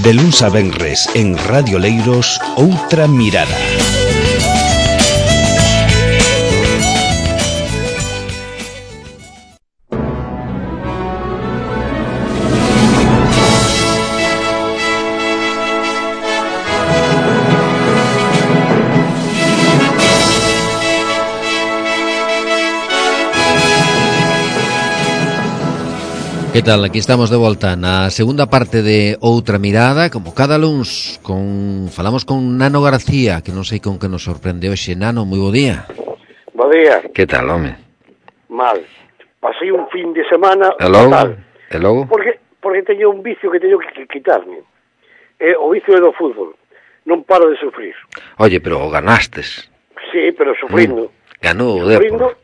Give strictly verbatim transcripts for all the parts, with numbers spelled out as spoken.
De luns a venres en Radio Leiros, Outra Mirada. Que tal? Aquí estamos de volta na segunda parte de Outra Mirada, como cada luns, con falamos con Nano García, que non sei con que nos sorprende hoxe. Nano, moi bo día. Bo día. Que tal, home? Mal. Pasei un fin de semana e logo? fatal. E logo? Porque, porque teño un vicio que teño que quitarme. É o vicio é do fútbol. Non paro de sufrir. Oye, pero ganastes. Sí, pero sufrindo. Mm. Ganou o Depor.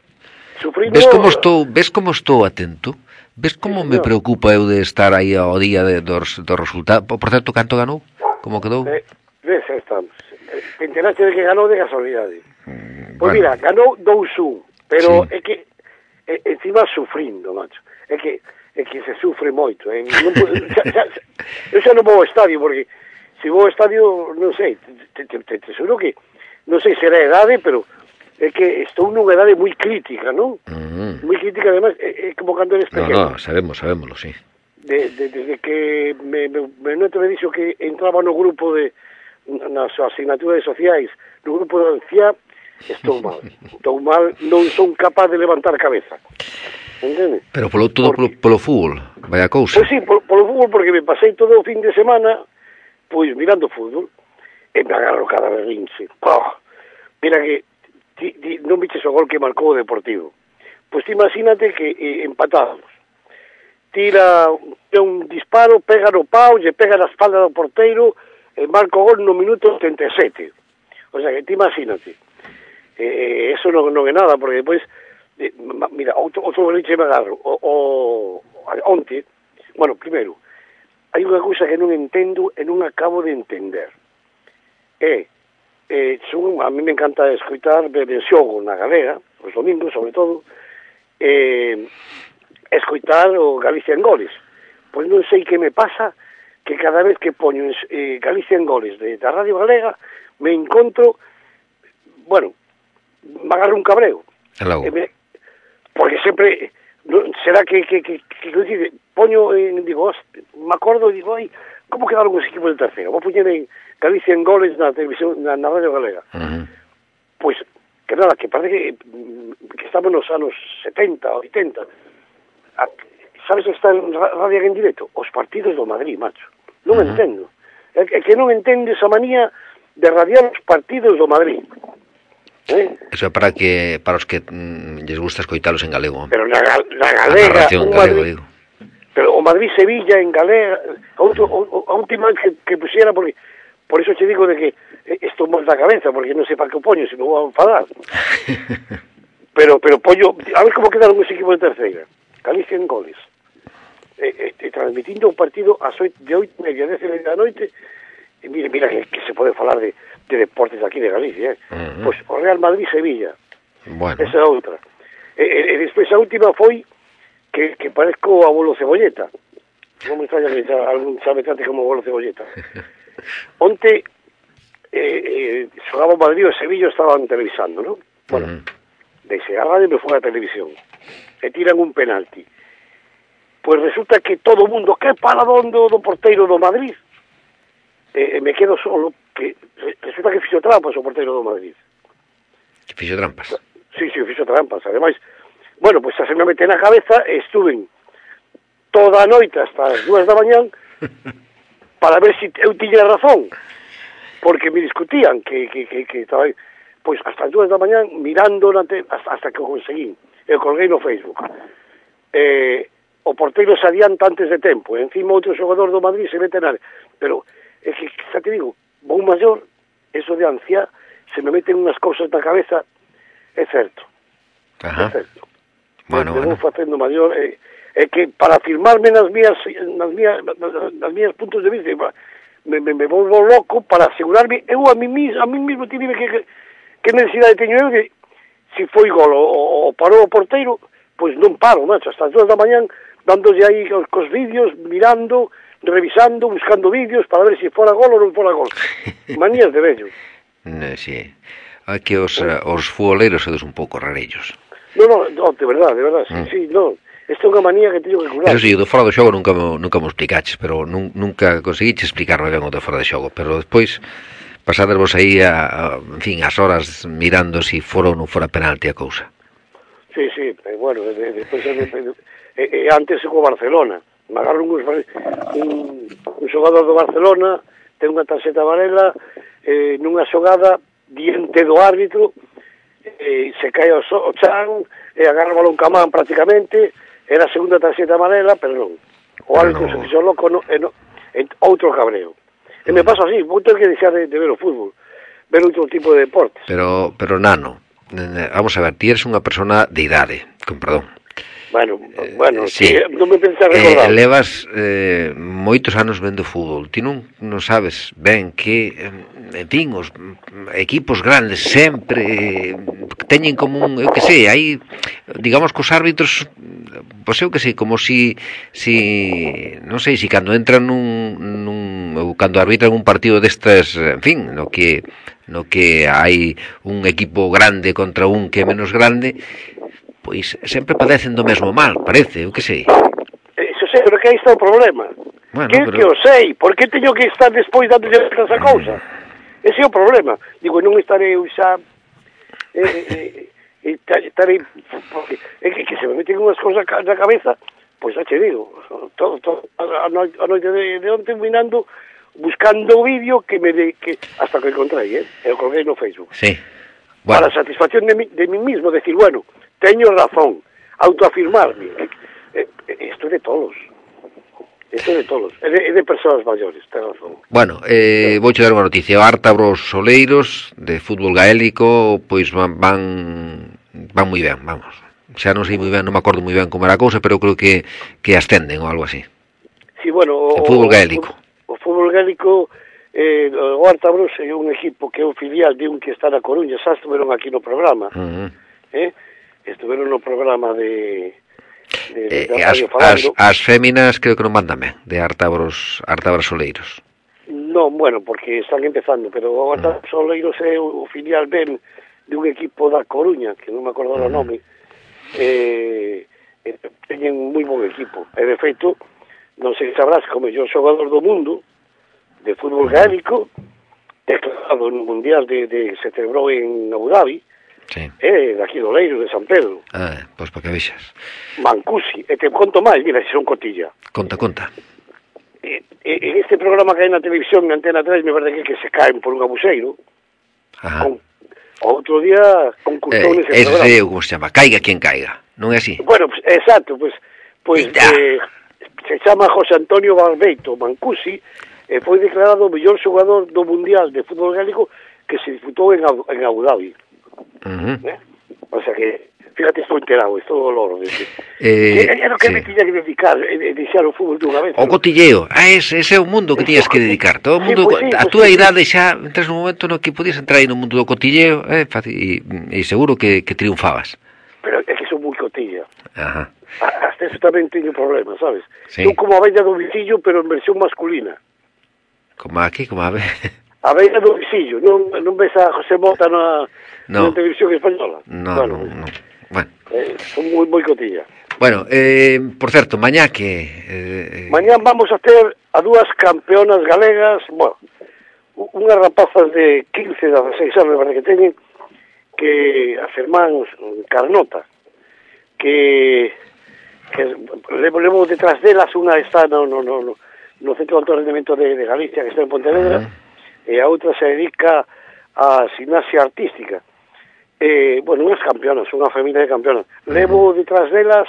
Sufrindo. Ves como estou, ves como estou atento? Ves como sí, me preocupa eu de estar aí ao día de, dos, dos resultados? Por certo, canto ganou? Como quedou? Eh, ves, estamos. Te enteraste de que ganou de casualidade. Mm, pois bueno. Mira, ganou dous un, pero sí. É que é, encima sufrindo, macho. É que é que se sufre moito. Eh? Non, xa, xa, eu xa non vou ao estadio, porque se vou ao estadio, non sei, te, te, te, te seguro que, non sei se era edade, pero é que estou nunha edade moi crítica, non? Uh-huh. Moi crítica, además, é, é como cando eres pequeno. No, no, sabemos, sabémoslo, sí. De, de, desde que me, me, me noto me dixo que entraba no grupo de, nas asignaturas sociais, no grupo de anciá, estou mal. Estou mal, non son capaz de levantar cabeza. Entende? Pero polo todo porque, polo, polo fútbol, vaya cousa. Pois sí, polo, polo fútbol, porque me pasei todo o fin de semana, pois mirando fútbol, e me agarro cada berrinche. Oh, mira que Ti, ti, non viches o gol que marcou o Deportivo. Pois ti imagínate que eh, empatados. Tira un disparo, pega no pau, lle pega na espalda do porteiro, e marca o gol no minuto setenta e sete. O sea, que ti imagínate. Eh, eso non, non é nada, porque depois, eh, mira, outro, outro boliche me agarro. O, o, onte, bueno, primeiro, hai unha cousa que non entendo e non acabo de entender. É, Eh, son, a mí me encanta escoitar ver xogo na Galega, os domingos sobre todo, eh, escoitar o Galicia en Goles. Pois non sei que me pasa, que cada vez que poño eh, Galicia en Goles de, da Radio Galega, me encontro, bueno, me agarro un cabreo. Eh, me, porque sempre, no, será que, que, que, que, que dice, poño, eh, digo, me acordo, digo, ai, como quedaron os equipos de tercero? Vou poñer en Galicia en Goles na televisión, na, na Radio Galega. Uh-huh. Pois, que nada, que parece que, que estamos nos anos setenta, oitenta. A, sabes que está en Radio en directo? Os partidos do Madrid, macho. Non uh-huh. entendo. É, é que non entendo esa manía de radiar os partidos do Madrid. ¿Eh? Eso é para que para os que mm, les gusta escoitalos en galego. Pero na, na Galega, un galego, Madrid, digo. Pero o Madrid-Sevilla en Galega, a, outro, a última que, que pusiera, porque por eso te digo de que estou mal da cabeza, porque non sei para que o poño, se me vou a enfadar. pero pero poño, a ver como quedaron os equipos de terceira. Galicia en Goles. E, e, transmitindo un partido ás oito, de oito e media, dez e media da noite, e mira, mira que, que se pode falar de, de deportes aquí de Galicia, eh? Uh-huh. Pois o Real Madrid-Sevilla. Bueno. Esa é outra. E, e, e despois a última foi que, que parezco o abuelo Cebolleta. Non me extraña que algún sabe tanto como o abuelo Cebolleta. Onte eh, eh, xogaba o Madrid e o Sevilla estaban televisando, non? Bueno, uh-huh. Deixe a radio e me foi a televisión e tiran un penalti. Pois resulta que todo o mundo, que paradón do, do porteiro do Madrid, e, e me quedo solo, que resulta que fixo trampas o porteiro do Madrid. Que fixo trampas? Sí, sí, fixo trampas, ademais, bueno, pois pues, se me mete na cabeza, estuve toda a noite hasta as dúas da mañán para ver se si eu tiña razón, porque me discutían que, que, que, que estaba aí. Pois hasta as dúas da mañán mirando te, hasta, hasta que o conseguí, eu colguei no Facebook. Eh, o porteiro se adianta antes de tempo, e encima outro xogador do Madrid se mete na área, pero é que, xa te digo, vou maior, eso de anciá, se me meten unhas cousas na cabeza, é certo. Ajá. É certo. Bueno, me bueno. vou facendo maior, é, é que para afirmarme nas mías, nas mías, nas mías puntos de vista, me, me, me volvo loco para asegurarme, eu a mí mismo, a mí mismo tive que, que, que necesidade teño eu de, se foi gol o, o parou o porteiro, pois non paro, macho, hasta as dúas da mañán, dándolle aí cos vídeos, mirando, revisando, buscando vídeos para ver se si fora gol ou non fora gol. Manías de vello. Eh, sí. Aquí os, uh, os futboleiros sodes un pouco rarellos. No, no, no, de verdad, de verdad, sí, mm. sí, no. Esta é unha manía que teño que curar. Eso sí, o do fora do xogo nunca mo, nunca mo explicaches, pero nun, nunca conseguiche explicarme ben o do fora do xogo, pero despois pasadevos aí a, a, en fin, as horas mirando se si fora ou non fora penalti a cousa. Sí, sí, eh, bueno, despois de, de, de, de, de, antes co Barcelona, me agarro un, un, un xogador do Barcelona, ten unha tarxeta amarela, eh, nunha xogada diante do árbitro, eh, se cae o, so, o chan, e agarra o balón camán prácticamente, era a segunda tarxeta amarela, pero non. O árbitro se fixo loco, no, e no, e outro cabreo. E me pasa así, vou ter que deixar de, de ver o fútbol, ver outro tipo de deportes. Pero, pero nano, vamos a ver, ti eres unha persona de idade, con perdón. Bueno, bueno, eh, sí. sí, non me pensas recordar. Eh, levas eh, moitos anos vendo fútbol. Ti non, non sabes ben que, en fin, os equipos grandes sempre teñen como un, eu que sei, hai, digamos que os árbitros, pois eu que sei, como si, si non sei, si cando entran nun, nun ou cando arbitran un partido destas, en fin, no que no que hai un equipo grande contra un que é menos grande, pois sempre padecen do mesmo mal, parece, eu que sei. Eso sei, pero que aí está o problema. Bueno, que pero... que o sei, por que teño que estar despois dando esa cousa? Ese é o problema. Digo, non estarei xa eh, eh, estarei porque é que, que se me meten unhas cousas na cabeza, pois xa che digo, todo, todo a, noite, a noite de, de onte mirando, buscando o vídeo que me de, que hasta que encontrei, eh? E o colguei no Facebook. Sí. Bueno. Para a satisfacción de, mi, de mí mismo, decir, bueno, teño razón, autoafirmarme. Isto é de todos. Isto é de todos. É de, é de persoas maiores, ten razón. Bueno, eh, vou che dar unha noticia. O Ártabros Soleiros, de fútbol gaélico, pois van, van, van moi ben, vamos. Xa non sei moi ben, non me acordo moi ben como era a cousa, pero creo que, que ascenden ou algo así. Sí, bueno, o, o fútbol gaélico. O, o fútbol gaélico, eh, o Ártabros é un equipo que é un filial de un que está na Coruña, xa estuveron aquí no programa. Uh -huh. Eh? Estuveron no programa de, de, de, de eh, as, as, as féminas creo que non mandan ben, de Ártabros, Ártabros Soleiros. Non, bueno, porque están empezando, pero o Ártabros uh -huh. Soleiros é o filial ben de un equipo da Coruña, que non me acordo uh -huh. o nome, eh, eh, teñen moi bon equipo, e de feito, non sei se sabrás, como yo xogador do mundo de fútbol gaélico, declarado no Mundial de, de se celebrou en Abu Dhabi. Sí. Eh, de aquí do Leiro, de San Pedro. Ah, pois para que vexas. Mancusi, e te conto máis, mira, se son cotilla. Conta, conta. E, e, en este programa que hai na televisión, en Antena tres, me parece que, que se caen por un abuseiro. Ajá. Con, outro día concursou eh, nese ese programa. Ese é, como se chama, caiga quien caiga, non é así? Bueno, pues, exacto, pues, pues eh, se chama José Antonio Barbeito Mancusi, e foi declarado o mellor xogador do Mundial de Fútbol Gaélico que se disputou en, en Abu Dhabi. Uh-huh. ¿Eh? O sea que, fíjate, estou enterado, estou dolor. Eh, é o que sí. me tiña que dedicar, e deixar o fútbol dunha vez. O cotilleo, ah, ese, ese é o mundo que tiñas que dedicar. Todo o mundo, sí, pues sí, a pues túa sí, idade xa, entras no momento no que podías entrar aí no mundo do cotilleo, eh, e, e seguro que, que triunfabas. Pero é que son moi cotilla. Ajá. Hasta eso tamén teño problemas, sabes? Sí. Eu como a bella do visillo, pero en versión masculina. Como aquí, como a ver... A bella do visillo, non, non ves a José Mota na, no. na televisión española? No, bueno, no, no. Bueno. Eh, son moi, moi cotilla. Bueno, eh, por certo, mañá que... Eh, mañá vamos a ter a dúas campeonas galegas, bueno, unhas rapazas de quince, dezasseis anos, que teñen, que as irmáns Carnota, que, que levo, levo detrás delas, unha está no, no, no, no, no Centro de Alto Rendemento de, de Galicia, que está en Pontevedra, uh -huh. e a outra se dedica a gimnasia artística. Eh, bueno, unhas campeonas, unha familia de campeonas. Levo detrás delas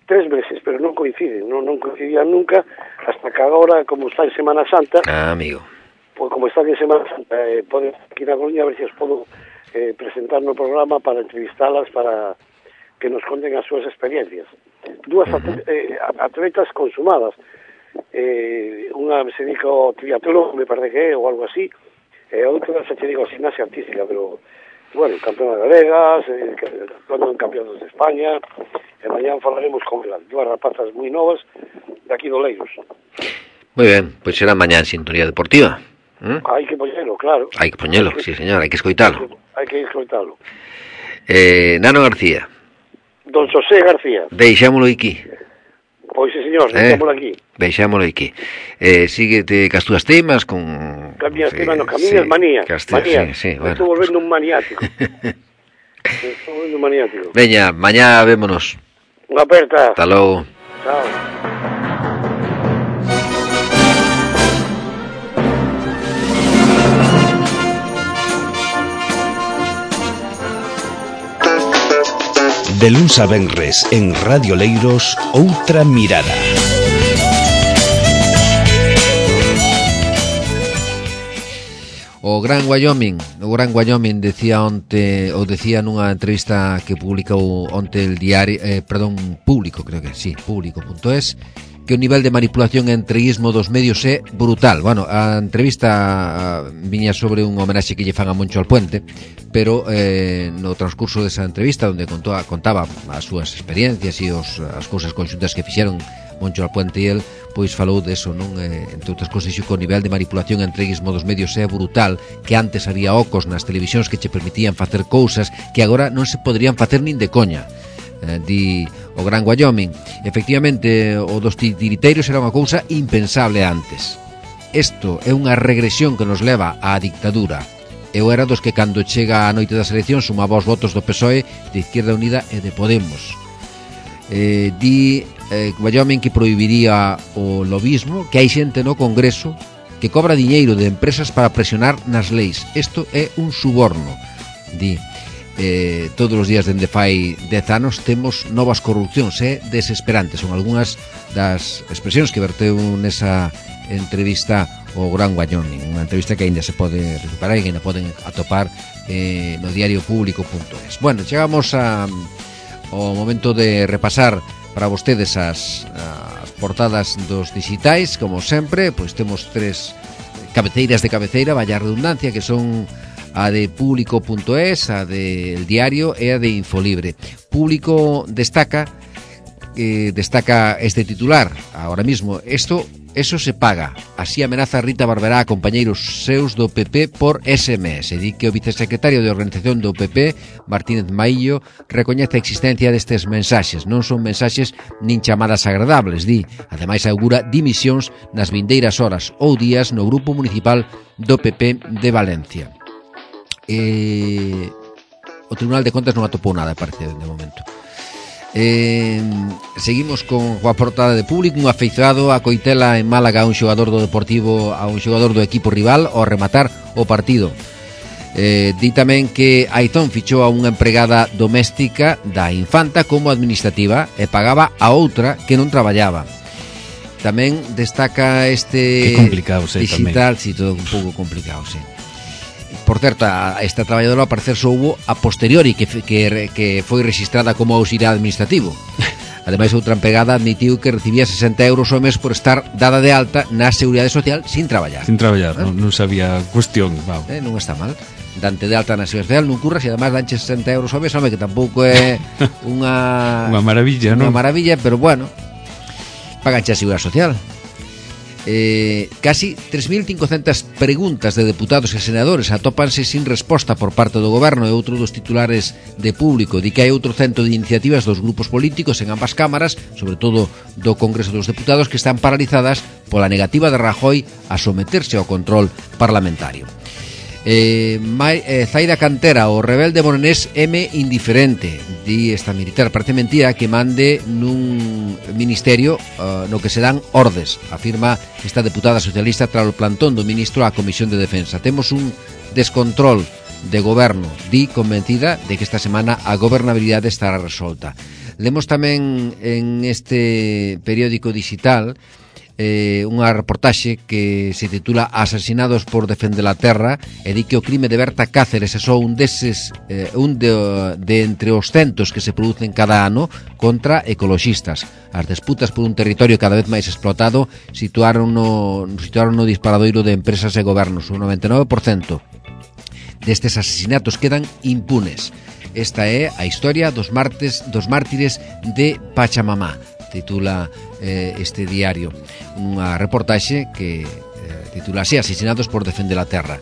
tres meses, pero non coinciden, non, non coincidían nunca, hasta que agora, como está en Semana Santa, ah, amigo. Pues como está en Semana Santa, eh, poden aquí na Coruña, a ver se os podo eh, presentar no programa para entrevistalas, para que nos conten as súas experiencias. Dúas uh -huh. eh, atletas consumadas, eh, unha se dedica ao triatlón, me parece que é, ou algo así, e eh, outra se dedica a gimnasia artística, pero, bueno, campeonas galegas, eh, actuando en campeonatos de España, e mañá falaremos con elas, dúas rapazas moi novas, de aquí do Leiros. Moi ben, pois será mañá en Sintonía Deportiva. ¿Mm? Hai que poñelo, claro. Hai que poñelo, sí, señor, hai que escoitalo. Hai que escoitalo. Eh, Nano García. Don José García. Deixámolo aquí. Pois, sí, señor, Eh, deixámolo aquí. Deixámolo aquí. Eh, síguete cas túas temas con... Cambias sí, temas, no, camiñas sí, manías. cas- Manías. Sí, sí, bueno. Estou volvendo un maniático. Estou volvendo un maniático. Veña, mañá vémonos. Unha aperta. Hasta logo. Chao. De luns a venres en Radio Leiros, Outra Mirada. O Gran Wyoming, o Gran Wyoming decía onte, ou decía nunha entrevista que publicou onte el diario, eh, perdón, Público, creo que sí, público punto es, que o nivel de manipulación e entreguismo dos medios é brutal. Bueno, a entrevista viña sobre un homenaxe que lle fan a Moncho Alpuente, pero eh, no transcurso desa entrevista onde contó, contaba as súas experiencias e os, as cousas conxuntas que fixeron Moncho Alpuente e el, pois falou deso, non? Eh, entre outras cousas, xo que o nivel de manipulación e entreguismo dos medios é brutal, que antes había ocos nas televisións que che permitían facer cousas que agora non se poderían facer nin de coña. Eh, di o Gran Wyoming. Efectivamente, o dos titiriteiros era unha cousa impensable antes. Isto é unha regresión que nos leva á dictadura. Eu era dos que cando chega a noite das eleccións sumaba os votos do P S O E, de Izquierda Unida e de Podemos. Eh, di eh, Wyoming que prohibiría o lobismo, que hai xente no Congreso que cobra diñeiro de empresas para presionar nas leis. Isto é un suborno. Di Eh, todos os días dende fai dez anos temos novas corrupcións, é eh, desesperante. Son algunhas das expresións que verteu nesa entrevista o Gran Wyoming, unha entrevista que ainda se pode recuperar e que ainda poden atopar eh, no diario público punto es. Bueno, chegamos a, ao momento de repasar para vostedes as, as portadas dos digitais. Como sempre, pois temos tres cabeceiras de cabeceira, vaya redundancia, que son a de Público punto es, a de El Diario e a de Infolibre. Público destaca eh, destaca este titular ahora mismo: esto, eso se paga. Así amenaza Rita Barberá a compañeiros seus do P P por S M S. Di que o vicesecretario de Organización do P P, Martínez Maillo, recoñece a existencia destes mensaxes. Non son mensaxes nin chamadas agradables, di. Ademais, augura dimisións nas vindeiras horas ou días no grupo municipal do P P de Valencia. Eh, o Tribunal de Contas non atopou nada, parece, de momento. Eh, seguimos con a portada de Público. Un afeizado a coitela en Málaga a un xogador do Deportivo, a un xogador do equipo rival ao rematar o partido. Eh, di tamén que Aizón fichou a unha empregada doméstica da Infanta como administrativa e pagaba a outra que non traballaba. Tamén destaca este que complicado, sí, digital, si sí, todo un pouco complicado, sí. Por certo, a esta traballadora ao parecer soubo a posteriori que, que, que foi registrada como auxiliar administrativo. Ademais, outra empregada admitiu que recibía sesenta euros ao mes por estar dada de alta na Seguridade Social sin traballar. Sin traballar, ¿Eh? non, non sabía cuestión. Wow. Eh, non está mal. Dante de alta na Seguridade Social non curras e ademais danche sesenta euros ao mes, home, que tampouco é unha unha maravilla, non? Unha maravilla, pero bueno, paganche a Seguridade Social. Eh, casi tres mil cincocentas preguntas de deputados e senadores atópanse sin resposta por parte do goberno. E outro dos titulares de Público di que hai outro cento de iniciativas dos grupos políticos en ambas cámaras, sobre todo do Congreso dos Deputados, que están paralizadas pola negativa de Rajoy a someterse ao control parlamentario. Eh, Mai, eh, Zaida Cantera, o rebelde morenés M indiferente, di esta militar. Parece mentira que mande nun ministerio uh, no que se dan ordes, afirma esta deputada socialista tras o plantón do ministro á Comisión de Defensa. Temos un descontrol de goberno, di, convencida de que esta semana a gobernabilidade estará resolta. Lemos tamén en este periódico digital eh, unha reportaxe que se titula Asesinados por defender a terra, e di que o crime de Berta Cáceres é só un deses eh, un de, de entre os centos que se producen cada ano contra ecoloxistas. As disputas por un territorio cada vez máis explotado situaron no, situaron no disparadoiro de empresas e gobernos. O noventa e nove por cento destes asesinatos quedan impunes. Esta é a historia dos martes dos mártires de Pachamamá. titula eh, este diario, unha reportaxe que eh, titula así: Asesinados por defender a terra.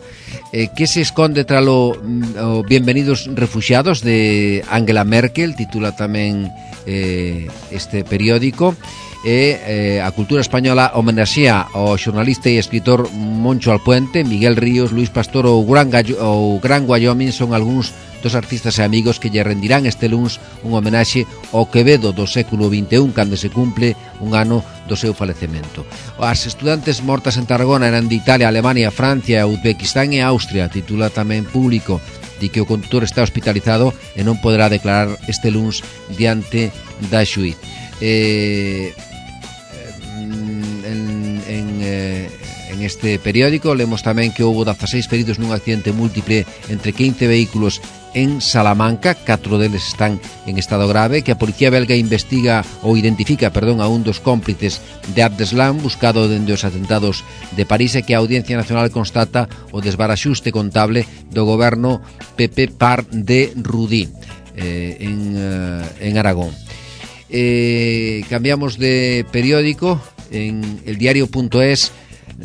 Eh, que se esconde tralo o Bienvenidos refuxiados de Angela Merkel, titula tamén eh, este periódico. E eh, a cultura española homenaxea ao xornalista e escritor Moncho Alpuente, Miguel Ríos, Luis Pastor ou Gran, Gallo, ou Gran Wyoming son algúns dos artistas e amigos que lle rendirán este luns un homenaxe ao Quevedo do século vinte e un, cando se cumple un ano do seu falecemento. As estudantes mortas en Tarragona eran de Italia, Alemania, Francia, Uzbekistán e Austria, titula tamén Público, di que o condutor está hospitalizado e non poderá declarar este luns diante da xuíz. Eh, en, en, eh, en este periódico lemos tamén que houbo dezasseis feridos nun accidente múltiple entre quince vehículos en Salamanca, catro deles están en estado grave, que a policía belga investiga ou identifica, perdón, a un dos cómplices de Abdeslam, buscado dende os atentados de París, e que a Audiencia Nacional constata o desbaraxuste contable do goberno P P Par de Rudí eh, en, uh, en Aragón. Eh, cambiamos de periódico. En el diario.es,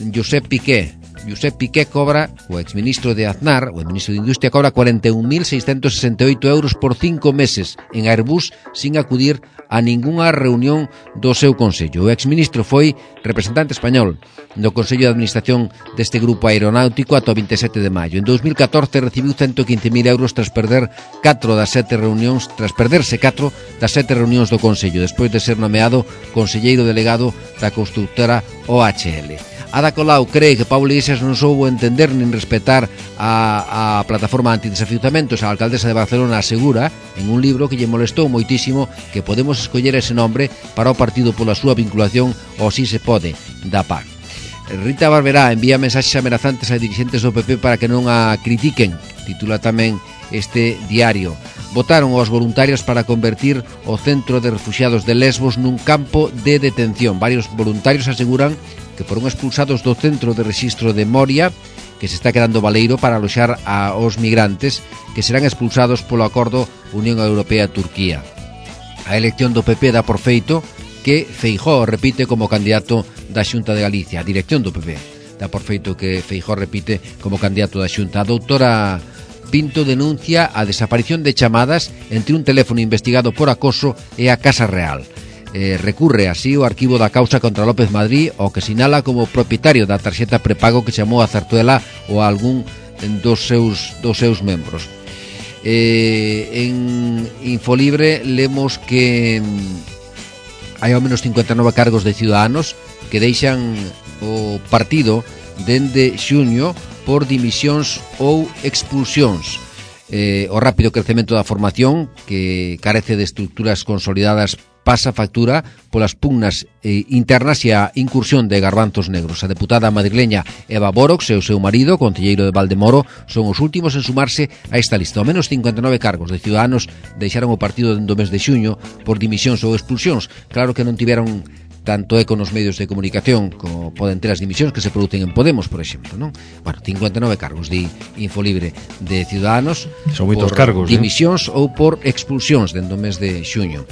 Josep Piqué Josep Piqué cobra, o exministro de Aznar, o ministro de Industria, cobra cuarenta e un mil seiscentos sesenta e oito euros por cinco meses en Airbus sin acudir a ningunha reunión do seu consello. O exministro foi representante español no Consello de Administración deste grupo aeronáutico ata o vinte e sete de maio. En dos mil catorce recibiu ciento quince mil euros tras perder catro das sete reunións, tras perderse catro das sete reunións do Consello, despois de ser nomeado conselleiro delegado da constructora O H L. Ada Colau cree que Pablo Iglesias non soubo entender nin respetar a, a plataforma antidesafiuzamentos. A alcaldesa de Barcelona asegura en un libro que lle molestou moitísimo que podemos escoller ese nombre para o partido pola súa vinculación ao Si se pode da P A C. Rita Barberá envía mensaxes amenazantes a dirixentes do P P para que non a critiquen, titula tamén este diario. Votaron aos voluntarios para convertir o centro de refuxiados de Lesbos nun campo de detención. Varios voluntarios aseguran que foron expulsados do centro de rexistro de Moria, que se está quedando baleiro para aloxar aos migrantes que serán expulsados polo acordo Unión Europea-Turquía. A elección do P P dá por feito que Feijóo repite como candidato da Xunta de Galicia. A dirección do P P dá por feito que Feijóo repite como candidato da Xunta. A doutora Pinto denuncia a desaparición de chamadas entre un teléfono investigado por acoso e a Casa Real. Eh, recurre así o arquivo da causa contra López Madrid, o que sinala como propietario da tarxeta prepago que chamou a Zarzuela ou a algún dos seus, dos seus membros. Eh, en Infolibre lemos que hai ao menos cincuenta e nove cargos de ciudadanos que deixan o partido dende xuño por dimisións ou expulsións. Eh, o rápido crecemento da formación, que carece de estructuras consolidadas, pasa factura polas pugnas eh, internas e a incursión de garbanzos negros. A deputada madrileña Eva Borox e o seu marido, concelleiro de Valdemoro, son os últimos en sumarse a esta lista. Ao menos cincuenta e nove cargos de ciudadanos deixaron o partido dentro do mes de xuño por dimisións ou expulsións. Claro que non tiveron tanto eco nos medios de comunicación como poden ter as dimisións que se producen en Podemos, por exemplo, non? Bueno, cincuenta e nove cargos de Infolibre de ciudadanos. Son moitos por cargos, dimisións, eh? Ou por expulsións dentro do mes de xuño.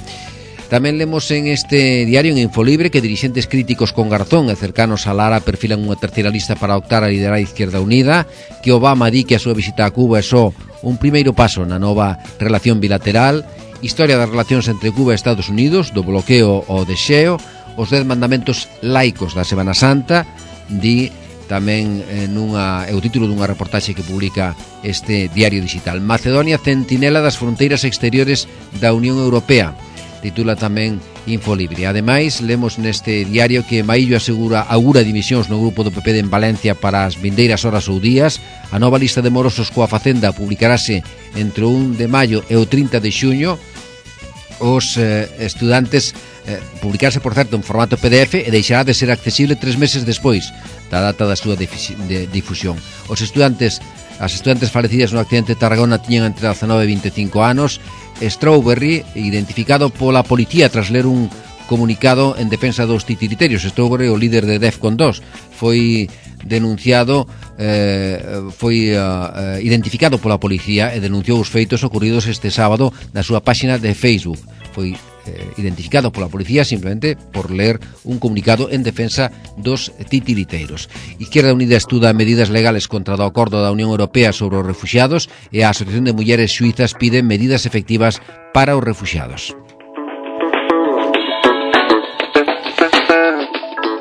Tamén lemos en este diario, en Infolibre, que dirixentes críticos con Garzón e cercanos a Lara perfilan unha terceira lista para optar a liderar a Izquierda Unida, que Obama di que a súa visita a Cuba é só un primeiro paso na nova relación bilateral, historia das relacións entre Cuba e Estados Unidos, do bloqueo ao desxeo, os dez mandamentos laicos da Semana Santa, di tamén eh, nunha, é o título dunha reportaxe que publica este diario digital. Macedonia, centinela das fronteiras exteriores da Unión Europea, titula tamén Infolibre. Ademais, lemos neste diario que Maillo asegura augura dimisións no grupo do P P de en Valencia para as vindeiras horas ou días. A nova lista de morosos coa Facenda publicarase entre o un de maio e o trinta de xuño. Os eh, estudantes eh, publicarse, por certo, en formato P D F e deixará de ser accesible tres meses despois da data da súa de difusión. Os estudantes, as estudantes falecidas no accidente de Tarragona tiñan entre dezanove e vinte e cinco anos. Strawberry, identificado pola policía tras ler un comunicado en defensa dos titiriterios. Strawberry, o líder de Defcon dos, foi denunciado, eh, foi uh, identificado pola policía e denunciou os feitos ocurridos este sábado na súa páxina de Facebook. Foi eh, identificado pola policía simplemente por ler un comunicado en defensa dos titiriteiros. Izquierda Unida estuda medidas legales contra o acordo da Unión Europea sobre os refuxiados e a Asociación de Mulleres Suizas pide medidas efectivas para os refuxiados.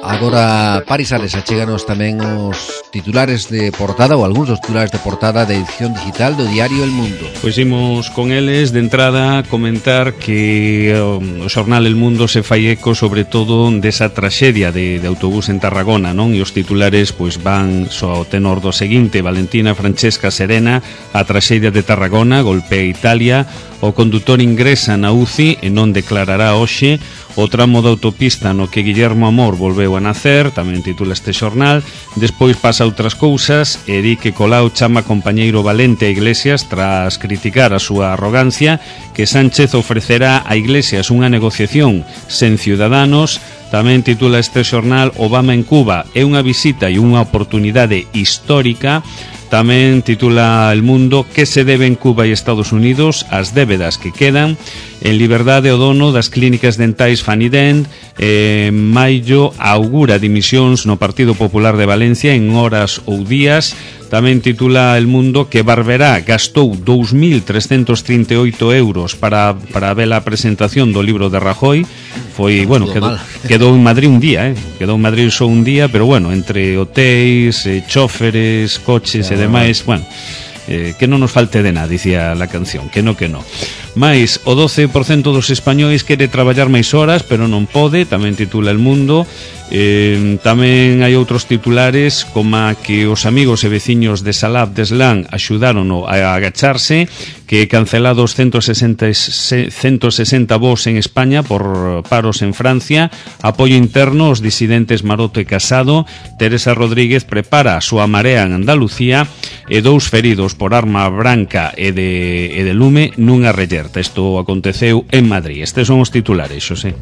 Agora, Paris Sales, achéganos tamén os titulares de portada ou algúns dos titulares de portada da edición digital do diario El Mundo. Pois imos con eles de entrada comentar que o xornal El Mundo se fai eco sobre todo desa traxedia de, de autobús en Tarragona, non? E os titulares pois van só ao tenor do seguinte: Valentina Francesca serena, a traxedia de Tarragona golpea Italia, o condutor ingresa na U C I e non declarará hoxe. O tramo da autopista no que Guillermo Amor volveu a nacer, tamén titula este xornal. Despois pasa outras cousas e di que Colau chama compañeiro valente a Iglesias tras criticar a súa arrogancia, que Sánchez ofrecerá a Iglesias unha negociación sen Ciudadanos. Tamén titula este xornal: Obama en Cuba é unha visita e unha oportunidade histórica. Tamén titula El Mundo: que se debe en Cuba e Estados Unidos, as débedas que quedan. En liberdade, o dono das clínicas dentais Fanident en maio augura dimisións no Partido Popular de Valencia en horas ou días. Tamén titula El Mundo que Barberá gastou dous mil trescentos trinta e oito euros para, para ver a presentación do libro de Rajoy. Foi, bueno, quedou, quedou en Madrid un día, eh? Quedou en Madrid só un día, pero bueno, entre hotéis, eh, chóferes, coches e demais, bueno, eh, que non nos falte de nada, dicía la canción, que no, que no. Mais o doce por cento dos españois quere traballar máis horas, pero non pode, tamén titula El Mundo. Eh, tamén hai outros titulares como que os amigos e veciños de Salab de Slán axudárono a agacharse, que cancelados ciento sesenta voos en España por paros en Francia, apoio interno aos disidentes Maroto e Casado, Teresa Rodríguez prepara a súa marea en Andalucía e dous feridos por arma branca e de, e de lume nunha reyerta. Isto aconteceu en Madrid. Estes son os titulares, Xosé.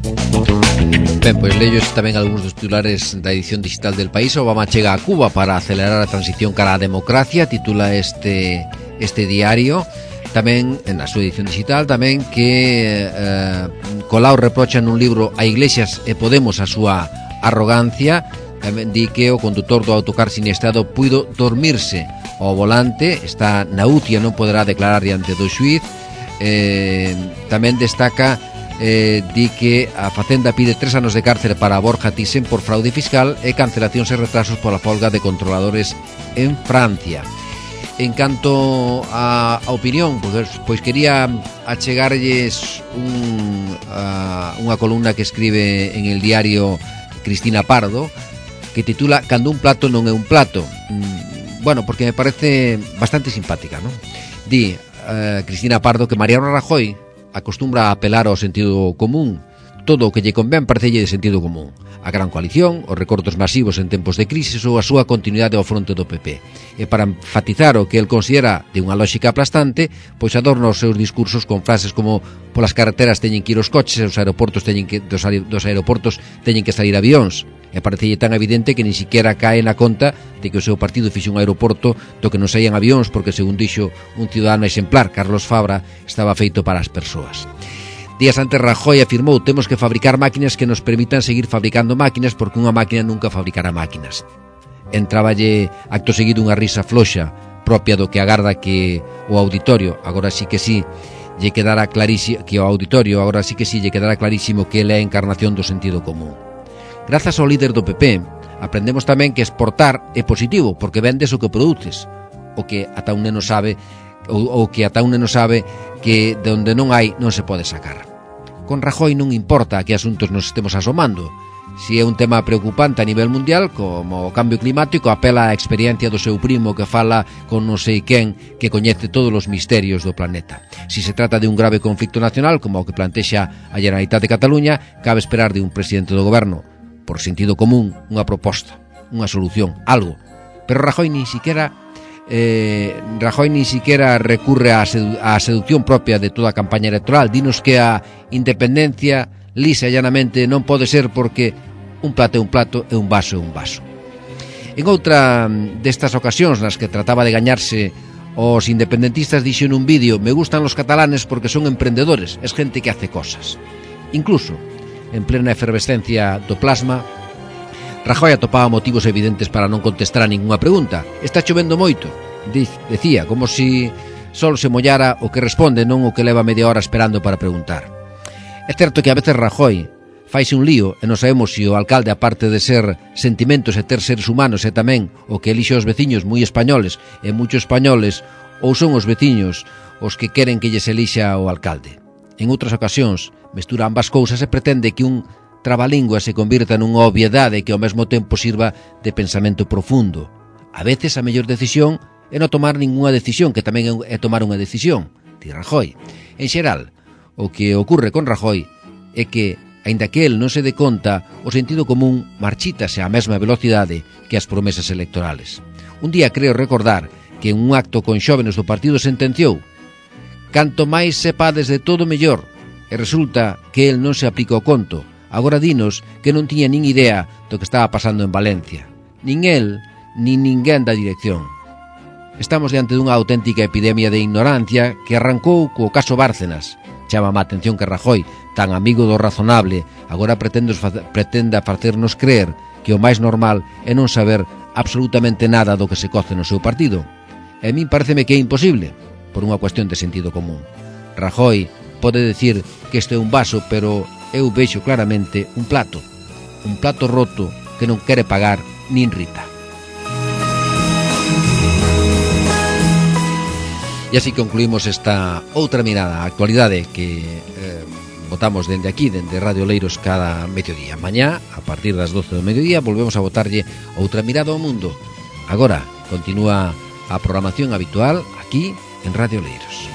Ben, pois lellos tamén algúns dos titulares da edición digital del País. Obama chega a Cuba para acelerar a transición cara á democracia, titula este este diario. Tamén, na súa edición digital, tamén que eh, Colau reprocha nun libro a Iglesias e Podemos a súa arrogancia. Tamén di que o condutor do autocar siniestado puido dormirse ao volante, está na U C I e non poderá declarar diante do xuíz. Eh, tamén destaca Eh, di que a Facenda pide tres anos de cárcere para Borja Thyssen por fraude fiscal e cancelacións e retrasos pola folga de controladores en Francia. En canto a, a opinión, pois, pois quería achegarlles un, a, unha columna que escribe en el diario Cristina Pardo, que titula Cando un plato non é un plato. Mm, bueno, porque me parece bastante simpática, ¿no? Di eh, Cristina Pardo que Mariano Rajoy acostumbra a apelar ao sentido común. Todo o que lle convén parecelle de sentido común. A gran coalición, os recortos masivos en tempos de crisis ou a súa continuidade ao fronte do P P. E para enfatizar o que el considera de unha lógica aplastante, pois adorna os seus discursos con frases como polas carreteras teñen que ir os coches e os aeroportos teñen que, dos, dos aeroportos teñen que salir avións. E parecelle tan evidente que ni siquiera cae na conta de que o seu partido fixe un aeroporto do que non saían avións porque, según dixo un ciudadano exemplar, Carlos Fabra, estaba feito para as persoas. Días antes Rajoy afirmou: temos que fabricar máquinas que nos permitan seguir fabricando máquinas porque unha máquina nunca fabricará máquinas. Entráballe acto seguido unha risa floxa propia do que agarda que o auditorio, agora sí que sí, lle quedará clarísimo que o auditorio, agora sí que sí, lle quedará clarísimo que ele é a encarnación do sentido común. Grazas ao líder do P P, aprendemos tamén que exportar é positivo, porque vendes o que produces, o que ata un neno sabe, ou, ou que ata un neno sabe que de onde non hai non se pode sacar. Con Rajoy non importa a que asuntos nos estemos asomando. Si é un tema preocupante a nivel mundial, como o cambio climático, apela á experiencia do seu primo que fala con non sei quen que coñece todos os misterios do planeta. Si se trata de un grave conflicto nacional, como o que plantexa a Generalitat de Cataluña, cabe esperar de un presidente do goberno, por sentido común, unha proposta, unha solución, algo. Pero Rajoy ni siquiera eh, Rajoy ni siquiera recurre á, sedu- á seducción propia de toda a campaña electoral. Dinos que a independencia lisa e llanamente non pode ser porque un plato é un plato e un vaso é un vaso. En outra destas ocasións nas que trataba de gañarse os independentistas, dixo nun vídeo: me gustan los catalanes porque son emprendedores, es gente que hace cosas. Incluso, en plena efervescencia do plasma, Rajoy atopaba motivos evidentes para non contestar a ningunha pregunta. Está chovendo moito, decía, como si só se mollara o que responde, non o que leva media hora esperando para preguntar. É certo que a veces Rajoy faise un lío e non sabemos se o alcalde, aparte de ser sentimentos e ter seres humanos, é tamén o que elixe os veciños moi españoles e muchos españoles, ou son os veciños os que queren que lles elixa o alcalde. En outras ocasións, mestura ambas cousas e pretende que un trabalingua se convirta nunha obviedade que ao mesmo tempo sirva de pensamento profundo. A veces a mellor decisión é non tomar ningunha decisión, que tamén é tomar unha decisión, di Rajoy. En xeral, o que ocorre con Rajoy é que, aínda que el non se dé conta, o sentido común marchítase á mesma velocidade que as promesas electorales. Un día creo recordar que en un acto con xóvenes do partido sentenciou: canto máis sepades de todo mellor, e resulta que el non se aplica o conto. Agora dinos que non tiña nin idea do que estaba pasando en Valencia. Nin el, nin ninguén da dirección. Estamos diante dunha auténtica epidemia de ignorancia que arrancou co caso Bárcenas. Chama a atención que Rajoy, tan amigo do razonable, agora pretenda facernos creer que o máis normal é non saber absolutamente nada do que se coce no seu partido. E a min pareceme que é imposible, por unha cuestión de sentido común. Rajoy pode decir que este é un vaso, pero eu vexo claramente un plato, un plato roto que non quere pagar nin Rita. E así concluímos esta outra mirada á actualidade que eh, votamos dende aquí, dende Radio Leiros, cada mediodía. Mañá, a partir das doce do mediodía, volvemos a botarlle outra mirada ao mundo. Agora, continúa a programación habitual aquí en Radio Leiros.